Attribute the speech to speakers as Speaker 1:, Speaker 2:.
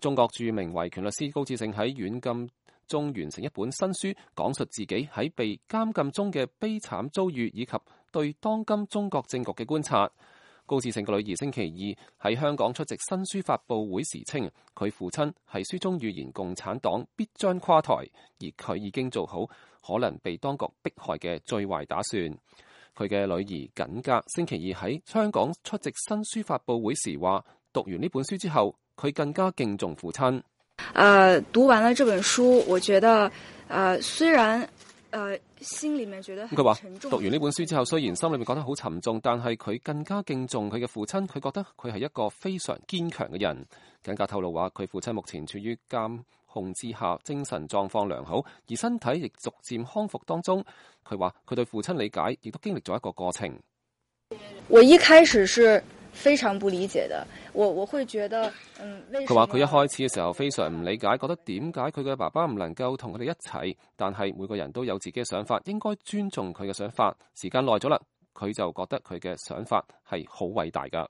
Speaker 1: 中國著名維權律師高志勝喺軟禁中完成一本新書，講述自己喺被監禁中嘅悲慘遭遇以及對當今中國政局嘅觀察。高志勝嘅女兒星期二喺香港出席新書發佈會時稱，佢父親係書中預言共產黨必將垮台，而佢已經做好可能被當局迫害嘅最壞打算。佢嘅女兒緊格星期二喺香港出席新書發佈會時話，讀完呢本書之後，佢更加敬重父親。
Speaker 2: 讀完了這本書，我覺得，雖然，心裏面覺得很沉重。
Speaker 1: 佢話讀完呢本書之後，雖然心裏面覺得好沉重，但係佢更加敬重佢嘅父親。佢覺得佢係一個非常堅強嘅人。緊格透露話，佢父親目前處於監控之下，精神狀況良好，而身體亦逐漸康復當中。佢話佢對父親理解，亦都經歷咗一個過程。
Speaker 2: 我一開始是非常不理解的，我會覺得，
Speaker 1: 佢話佢一開始嘅時候非常唔理解，覺得點解佢嘅爸爸唔能夠同佢哋一齊，但係每個人都有自己嘅想法，應該尊重佢嘅想法。時間耐咗啦，佢就覺得佢嘅想法係好偉大㗎。